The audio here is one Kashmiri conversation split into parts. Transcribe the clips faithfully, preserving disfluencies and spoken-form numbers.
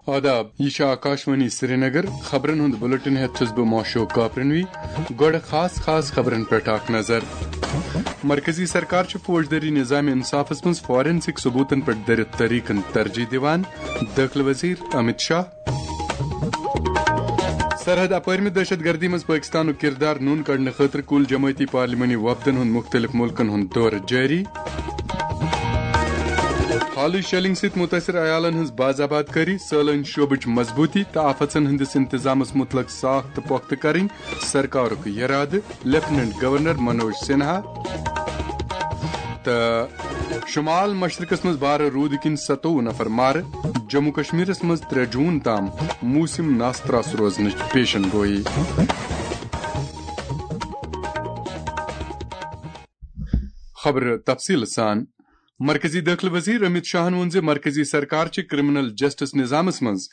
آداب، یہ چھِ آکاشوانی سرینگر۔ خبرن ہُنٛد بلیٹن ہیتھ چھُس بہٕ ماشوق کاپرنوی۔ گۄڈٕ خاص خاص خبرن پٮ۪ٹھ اکھ نظر۔ مرکزی سرکار چھِ فوجدٲری نظام انصافس منٛز فارنسک ثبوتن پٮ۪ٹھ دٔرِتھ طریقن ترجیح دِوان، دٲخلہٕ وزیر امت شاہ۔ سرحد اپٲرمہِ دہشت گردی منٛز پٲکستانُک کردار نوٚن کڑنہٕ خٲطرٕ کُل جمٲعتی پارلیمانی وفدن ہُنٛد مُختٔلِف مُلکن ہُنٛد دورٕ جٲری۔ حالٕے شیلنگ سۭتۍ مُتٲثر عیالن ہٕنٛز باز آباد کٲری، سٲلٲنۍ شعبٕچ مضبوٗطی تہٕ آفتن ہٕنٛدِس انتظامس مُتعلق ساخ تہٕ پۄختہٕ کرٕنۍ، سرکارُک یرادٕ، لیفٹیننٹ گورنر منوج سنہا۔ تہٕ شمال مشرقس منٛز بارٕ روٗدٕ کِنۍ ستووُہ نفر مارٕ، جموں کشمیرس منٛز ترٛےٚ جوٗن تام موسم ناستراس روزنٕچ پیشن گویی۔ خبرٕ تفصیٖل سان۔ مرکزی دٲخلہٕ وزیر امت شاہن ووٚن زِ مرکزی سرکار چھِ کرمنل جسٹس نظامس منٛز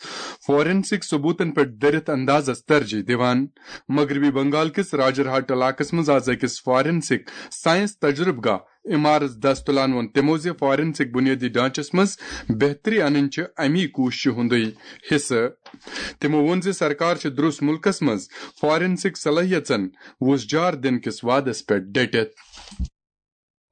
فارنسک ثبوتن پٮ۪ٹھ دٔرِتھ اندازس ترجیح دِوان۔ مغربی بنگال کِس راجرہاٹ علاقس منٛز آز أکِس فارنسک ساینس تجربہٕ گاہ عمارس دست تُلان ووٚن تِمو زِ فارنسک بنیٲدی ڈھانچس منٛز بہتری انٕنۍ چھِ امی کوٗششہِ ہُنٛدُے حصہٕ۔ تِمو ووٚن زِ سرکار چھِ درُس مُلکس منٛز فارنسک صلٲحیژن وُژھ جار دِنہٕ کِس وعدس پٮ۪ٹھ ڈٔٹِتھ۔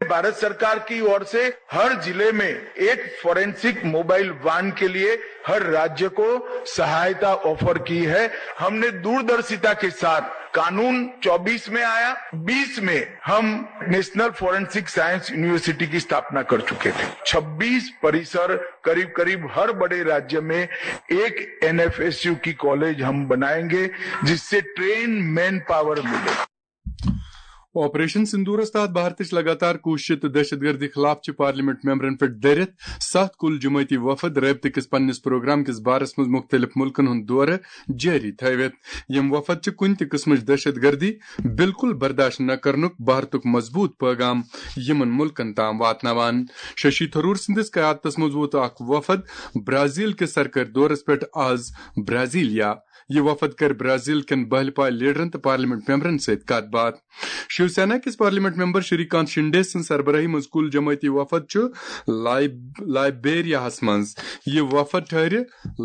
भारत सरकार की ओर से हर जिले में एक फॉरेंसिक मोबाइल वैन के लिए हर राज्य को सहायता ऑफर की है। हमने दूरदर्शिता के साथ कानून चौबीस में आया, बीस में हम नेशनल फॉरेंसिक साइंस यूनिवर्सिटी की स्थापना कर चुके थे। छब्बीस परिसर, करीब करीब हर बड़े राज्य में एक एनएफएसयू की कॉलेज हम बनाएंगे, जिससे ट्रेन मैन पावर मिले। آپریشن سندورس تحت بھارتٕچ لگاتار کوٗششہِ تہٕ دہشت گردی خلاف چھِ پارلیمنٹ ممبرن پٮ۪ٹھ دٔرِتھ ستھ کُل جمٲعتی وفد رٲبطہٕ کِس پننِس پروگرام کِس بارس منٛز مُختٔلِف مُلکن ہُنٛد دورٕ جٲری تھٲوِتھ۔ یِم وفد چھِ کُنہِ تہِ قٕسمٕچ دہشت گردی بالکل برداشت نہ کرنُک بھارتُک مضبوٗط پٲغام یِمن مُلکن تام واتناوان۔ ششی تھرور سٕنٛدِس قیادتس منٛز ووت اکھ وفد برازیل کِس سرکٲرۍ دورس پٮ۪ٹھ آز برازیلیا۔ یہِ وفد کَرِ برازیل کٮ۪ن بہلہِ پایہِ لیڈرن تہٕ پارلیمنٹ ممبرن سۭتۍ کَتھ باتھ۔ شیو سینا کِس پارلیمنٹ ممبر شری کانت شنڈے سٕنٛز سربراہی منٛز کُل جمٲعتی وفد چھُ لائب-، لائبیریاہَس منٛز۔ یہِ وفد ٹھہرِ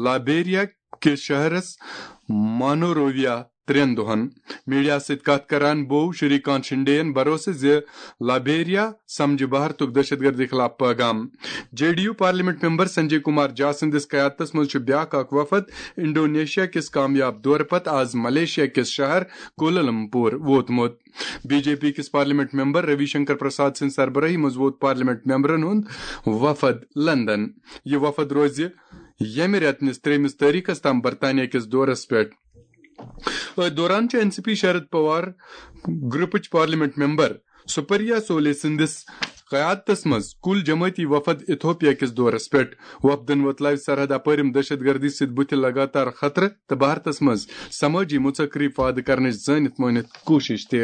لائبیریا کِس شہرس مانورویا ترٛٮ۪ن دۄہَن۔ میڈیا سۭتۍ کَتھ کران بوو شری کانت شنڈے یَن بھروسہٕ زِ لائبیریا سمجھِ بھارتُک دہشت گردی خلاف پٲغام۔ J D U parliament member Sanjay Kumar Jha سٕنٛدِس قیادتس منٛز چھُ بیٛاکھ اکھ وفد انڈونیشیا کِس کامیاب دورٕ پتہٕ آز ملیشیا کِس شہر کولالمپور ووتمُت۔ بی جے پی کِس پارلیمنٹ ممبر روی شنکر پرساد سٕنٛدِ سربراہی منٛز ووت پارلیمنٹ ممبرن ہُنٛد وفد لندن۔ یہِ وفد روزِ ییٚمہِ رٮ۪تہٕ نِس ترٛیٚیمِس تٲریخس تام برطانیہ کِس دورس پٮ۪ٹھ۔ أتھۍ دوران چھُ N C P Sharad Pawar گروپٕچ parliament member Supriya سولے سٕنٛدِس قیادتس منٛز کُل جمٲعتی وفد ایتھوپیا کِس دورس پٮ۪ٹھ۔ وفدن وۄتلٲوۍ سرحد اپٲرِم دہشت گردی سۭتۍ بُتھِ لگاتار خطرٕ تہٕ بھارتس منٛز سمٲجی مُژکری پٲدٕ کرنٕچ زٲنِتھ مٲنِتھ کوٗشش تہِ۔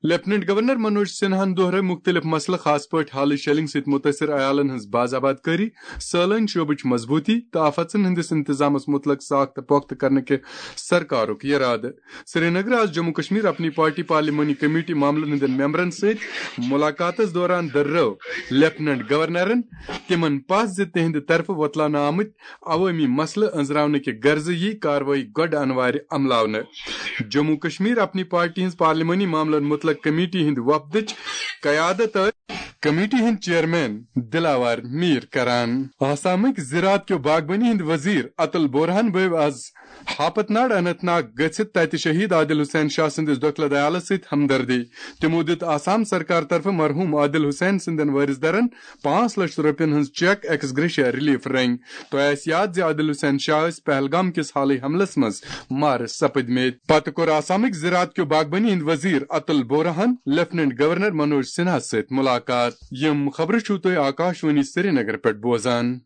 لیفٹیننٹ گورنر منوج سنہاہن دۄہرٲوۍ مُختٔلِف مسلہٕ، خاص پٲٹھۍ حالٕے شیلنگ سۭتۍ مُتٲثر عیالن ہٕنٛز باز آباد کٲری، سٲلٲنۍ شعبٕچ مضبوٗطی تہٕ آفتن ہٕنٛدِس انتظامس مُتعلق ساخ تہٕ پۄختہٕ کرنہٕ کہِ سرکارُک یرادٕ۔ سرینگر آز جموں کشمیر اپنی پارٹی پارلیمانی کمیٹی معاملن ہٕنٛدٮ۪ن ممبرن سۭتۍ ملاقاتس دوران دٔررٲو لیفٹیننٹ گورنرن تِمن پژھ زِ تِہنٛدِ طرفہٕ وۄتلاونہٕ آمٕتۍ عوٲمی مسلہٕ أنٛزراونہٕ کہِ غرضہٕ یی کاروٲیی گۄڈٕ انوارِ عملاونہٕ۔ جموں کشمیر اپنی پارٹی ہٕنٛز پارلیمانی معاملن مُتعلق کمیٹی ہٕنٛدِ وفدٕچ قیادت ٲسۍ کمیٹی ہٕنٛدۍ چیئرمین دلاوار میر کران۔ آسامٕکۍ زراعت کیو باغبٲنی ہٕنٛدۍ وزیر اتل بورہان بٲوۍ آز ہاپت ناڈ اننت ناگ گٔژھِتھ تتہِ شہید عادل حسین شاہ سٕنٛدِس دۄکھلہٕ دیالس سۭتۍ ہمدردی۔ تِمو دِیُت آسام سرکار طرفہٕ مرحوم عادل حسین سٕنٛدٮ۪ن وٲرث دَرن پانٛژھ لچھ رۄپین ہٕنٛز چیک ایکس گریشیا ریلیف رنگۍ۔ تۄہہِ آسہِ یاد زِ عادل حسین شاہ ٲسۍ پہلگام کِس حالٕے حملس منٛز مارٕ سپٕدمٕتۍ۔ پتہٕ کوٚر آسامٕکۍ زراعت کیو باغبٲنی ہٕنٛدۍ وزیر اتل بورہن لیفٹیننٹ گورنر منوج سنہاہس سۭتۍ ملاقات۔ یِم خبرٕ چھِو تُہۍ آکاشوانی سرینگر پٮ۪ٹھ بوزان۔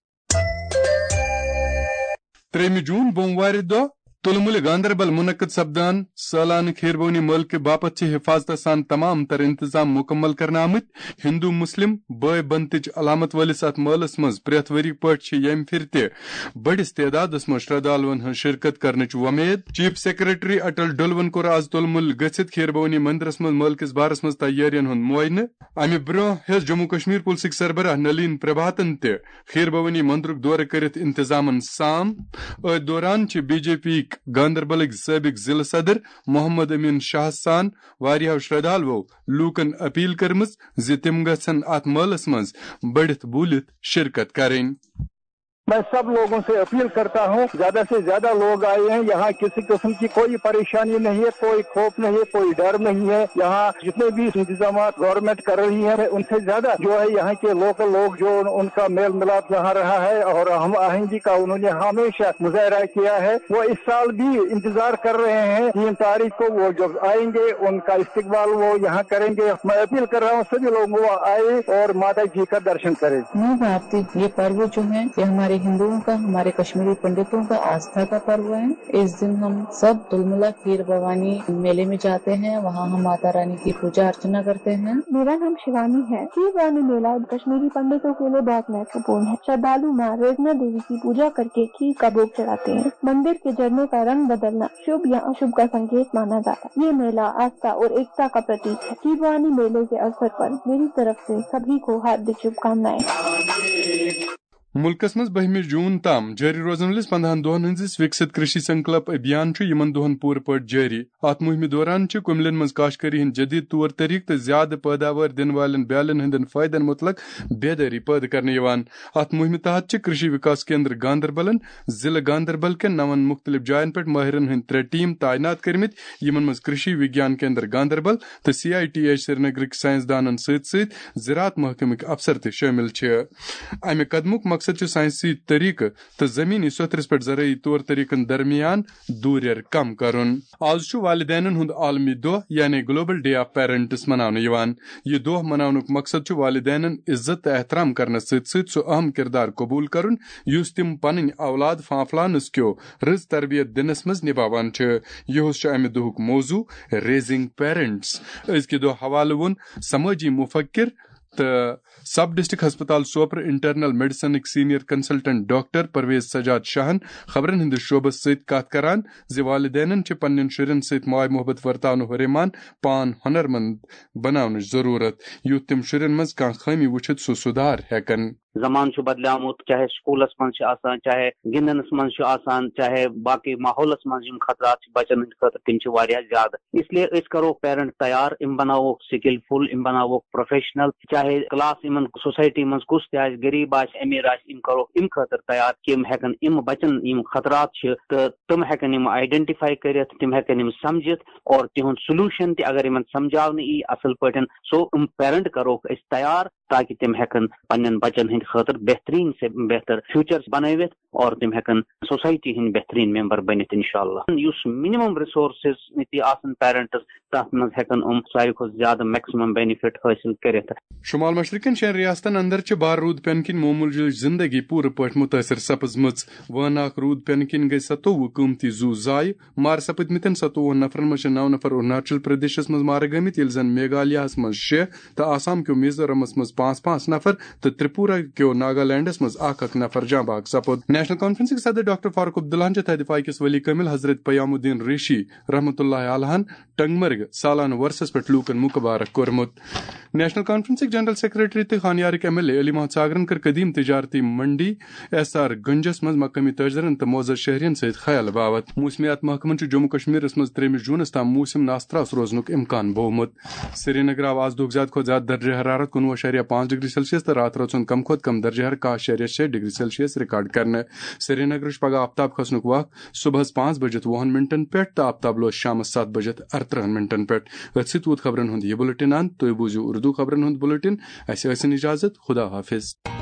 ترٛیٚیِمہِ جوٗن بوموارِ دۄہ تُلمُلہِ گاندربل منعقد سپدان سالانہٕ کھیربونی مٲلہٕ کہِ باپتھ چھِ حفاظتس سان تمام تر انتظام مکمل کرنہٕ آمٕتۍ۔ ہندو مسلم بٲے بنتٕچ علامت وٲلِس اتھ مٲلس منٛز پرٛٮ۪تھ ؤری پٲٹھۍ چھِ ییٚمہِ پھِرِ تہِ بٔڑِس تعدادس منٛز شردھالوَن ہٕنٛز شرکت کرنٕچ وۄمید۔ چیف سیکرٹری اٹل ڈولون کوٚر آز تُلمُل گٔژھِتھ کھیربونی مندرس منٛز مٲلہٕ کِس بارس منٛز تیٲرین ہُنٛد معائنہٕ۔ امہِ برٛونٛہہ ہیٚژ جموں کشمیر پُلسٕکۍ سربراہ نلین پربھاتن تہِ کھیربونی مندرُک دورٕ کٔرِتھ انتظامن سام۔ أتھۍ دوران چھِ بی جے پی یِکۍ گاندربلٕکۍ سٲبق ضلع صدر محمد امین شاہ سان واریاہو شردھالوو لوٗکن اپیل کٔرمٕژ زِ تِم گژھن اتھ مٲلس منٛز بٔڑِتھ بوٗلِتھ شرکت کرٕنۍ۔ میں سب لوگوں سے اپیل کرتا ہوں، زیادہ سے زیادہ لوگ آئے ہیں۔ یہاں کسی قسم کی کوئی پریشانی نہیں ہے، کوئی خوف نہیں ہے، کوئی ڈر نہیں ہے۔ یہاں جتنے بھی انتظامات گورنمنٹ کر رہی ہے، ان سے زیادہ جو ہے یہاں کے لوکل لوگ، جو ان کا میل ملاپ یہاں رہا ہے اور ہم آہنگی کا انہوں نے ہمیشہ مظاہرہ کیا ہے، وہ اس سال بھی انتظار کر رہے ہیں۔ تین تاریخ کو وہ جب آئیں گے، ان کا استقبال وہ یہاں کریں گے۔ میں اپیل کر رہا ہوں سبھی لوگوں کو آئے اور ماتا جی کا درشن کریں۔ मैं भारती, ये पर्व जो है, ये हमारे हिंदुओं का, हमारे कश्मीरी पंडितों का आस्था का पर्व है। इस दिन हम सब तुलमुला खीर भवानी मेले में जाते हैं, वहाँ हम माता रानी की पूजा अर्चना करते हैं। मेरा नाम शिवानी है। खीर भवानी मेला कश्मीरी पंडितों के लिए बहुत महत्वपूर्ण है। श्रद्धालु माँ रेजना देवी की पूजा करके खीर का भोग चढ़ाते हैं। मंदिर के झरने का रंग बदलना शुभ या अशुभ का संकेत माना जाता है। ये मेला आस्था और एकता का प्रतीक है। खीर भवानी मेले के अवसर पर मेरी तरफ से सभी को हार्दिक शुभकामनाएं। مُلکَس منٛز بٔہمہِ جوٗن تام جٲری روزن وٲلِس پندہَن دۄہَن ہٕنٛدِس وِکسِت کرشی سنکلپ ابھیان چھُ یِمَن دۄہَن پوٗرٕ پٲٹھۍ جٲری۔ اَتھ مُہِمہِ دوران چھِ کُمِلٮ۪ن منٛز کاشت کٲری ہٕنٛدۍ جدید طور طریقہٕ تہٕ زیادٕ پٲداوار دِنہٕ والٮ۪ن بیالٮ۪ن ہٕنٛدٮ۪ن فٲیدَن مُتعلق بیدٲری پٲدٕ کرنہٕ یِوان۔ اَتھ مُہِمہِ تحت چھِ کرشی وِکاس کیندر گاندربلَن ضلع گاندربل کٮ۪ن نَوَن مُختٔلِف جاین پٮ۪ٹھ مٲہرَن ہٕنٛدۍ ترٛےٚ ٹیٖم تعینات کٔرمٕتۍ، یِمَن منٛز کرشی وگیان کیندر گاندربل تہٕ سی آئی ٹی ایچ سرینگرٕکۍ سائنسدانَن سۭتۍ سۭتۍ زراعت محکمٕکۍ افسر تہِ شٲمِل چھِ۔ امہِ قدمُک مقصد چھُ سائنسی طریقہٕ تہٕ زمینی سوٚتھرِس پٮ۪ٹھ زرٲعی طور طریقن درمیان دوٗریر کم کرُن۔ آز چھُ والدینن ہُنٛد عالمی دۄہ یعنی گلوبل ڈے آف پیرنٹس مناونہٕ یِوان۔ یہِ دۄہ مناونُک مقصد چھُ والدینن عزت تہٕ احترام کرنس سۭتۍ سۭتۍ سُہ اہم کردار قبول کرُن، یُس تِم پنٕنۍ اولاد فانفلانس کیو رٕژ تربیت دِنس منٛز نباوان چھِ۔ یِہُس چھُ امہِ دۄہُک موضوع ریزنگ پیرنٹس۔ أزکہِ دۄہ حوالہٕ ووٚن سمٲجی مفکر تہٕ سب ڈسٹرکٹ ہسپتال سوپر انٹرنل میڈیسنٕکۍ senior consultant doctor Parvez Sajjad شاہن خبرن ہٕنٛدِس شعبس سۭتۍ کتھ کران زِ والدینن چھِ پننٮ۪ن شُرٮ۪ن سۭتۍ ماے محبت ورتاونہٕ ہُرے مان پان ہُنرمند بناونٕچ ضروٗرت، یُتھ تِم شُرٮ۪ن منٛز کانٛہہ خٲمی وٕچھِتھ سُہ سُدھار ہٮ۪کن۔ زمانہٕ چھُ بدلیومُت، چاہے سکوٗلس منٛز چھُ آسان، چاہے گِنٛدنس منٛز چھُ آسان، چاہے باقٕے ماحولس منٛز یِم خطرات چھِ بچن ہٕنٛدِ خٲطرٕ، تِم چھِ واریاہ زیادٕ۔ اس لیے أسۍ کرو پیرنٹ تیار، یِم بناووکھ سکلفل، یِم بناووکھ پروفیشنل، چاہے کلاس یِمن سوسائٹی منٛز کُس تہِ آسہِ، غریب آسہِ، امیر آسہِ، یِم کرو امہِ خٲطرٕ تیار کہِ یِم ہیٚکن یِم بچن یِم خطرات چھِ تہٕ تِم ہیٚکن یِم آئیڈینٹیفائی کٔرِتھ، تِم ہیٚکن یِم سمجھِتھ اور تِہُنٛد سولوشن تہِ اگر یِمن سمجھاونہٕ یی اصل پٲٹھۍ، سو یِم پیرنٹ کروکھ أسۍ تیار تاکہ تِم ہیٚکن پننٮ۪ن بچن ہٕنٛدِ خٲطرٕ بہترین سے بہتر فیوچر بنٲوِتھ اور تِم ہیٚکن سوسائٹی ہٕنٛدۍ بہترین ممبر بٔنِتھ انشاءاللہ۔ یُس منیمم ریسورسز تہِ آسن پیرنٹس، تتھ منٛز ہیٚکن یِم ساروی کھۄتہٕ زیادٕ میکسیمم بینیفٹ حٲصِل کٔرِتھ۔ شمال مشرقین شٮ۪ن ریاستن اندر چھِ بار روٗد پینہٕ کِنۍ معموٗلٕچ زندگی پوٗرٕ پٲٹھۍ مُتٲثر سپٕزمٕژ۔ وٲناکھ روٗد پینہٕ کِنۍ گٔے ستووُہ قۭمتی زُو ضایہِ۔ مارٕ سپٕدمٕتٮ۪ن ستووُہن نفرن منٛز چھِ نو نفر اروناچل پردیشس منٛز مارٕ گٲمٕتۍ، ییٚلہِ زن میگھالیاہس منٛز شےٚ تہٕ آسام کیو میزورمس منٛز پانٛژھ پانٛژھ نفر تہٕ ترپورہ کیو ناگالینڈس منٛز اکھ اکھ نفر جاں بحق سپُد۔ نیشنل کانفرنسٕکۍ صدر ڈاکٹر فاروق عبداللہن چھِ تھدِ فاقس ولی کامل حضرت پیام الدین ریشی رحمتہ اللہ علیہن ٹنگمرگ سالانہٕ وۄرسس پٮ۪ٹھ لوٗکن مُبارک کوٚرمُت۔ نیشنل کانفرنسٕکۍ جنرل سیکرٹری تہٕ خانیارٕکۍ M L A Ali Mohammad ساگرن کٔر قدیم تجارتی منڈی ایس آر گنجس منٛز مقٲمی تٲجرن تہٕ معزز شہرین سۭتۍ خیال باوت۔ موسمیات محکمن چھُ جموں کشمیرس منٛز ترٛیٚیمہِ جوٗنس تام موسم ناستراس روزنُک امکان بوومُت۔ سرینگر آو آز دۄہُک زیادٕ کھۄتہٕ زیادٕ درجہ حرارت کُنوُہ اَشاریہ پانٛژھ ڈگری سیلسیس تہٕ راتہٕ رٲژ ہُنٛد کم کھۄتہٕ کم درجہ حرارت کاہ اَشاریہ شےٚ ڈگری سیلسیس ریکارڈ کرنہٕ۔ سرینگرٕچ پگہہ آفتاب کھسنُک وق صبحس پانٛژھ بجِتھ وُہن منٹن پٮ۪ٹھ تہٕ آفتاب لوس شامس ستھ بجِتھ ارترٕہن منٹن پٮ۪ٹھ۔ أتھۍ سۭتۍ ووت خبرن ہُنٛد یہِ بُلٹن اند۔ تُہۍ بوٗزِو اردو خبرن ہُنٛد بُلٹن۔ اسہِ ٲسِن اجازت۔ خدا حافظ۔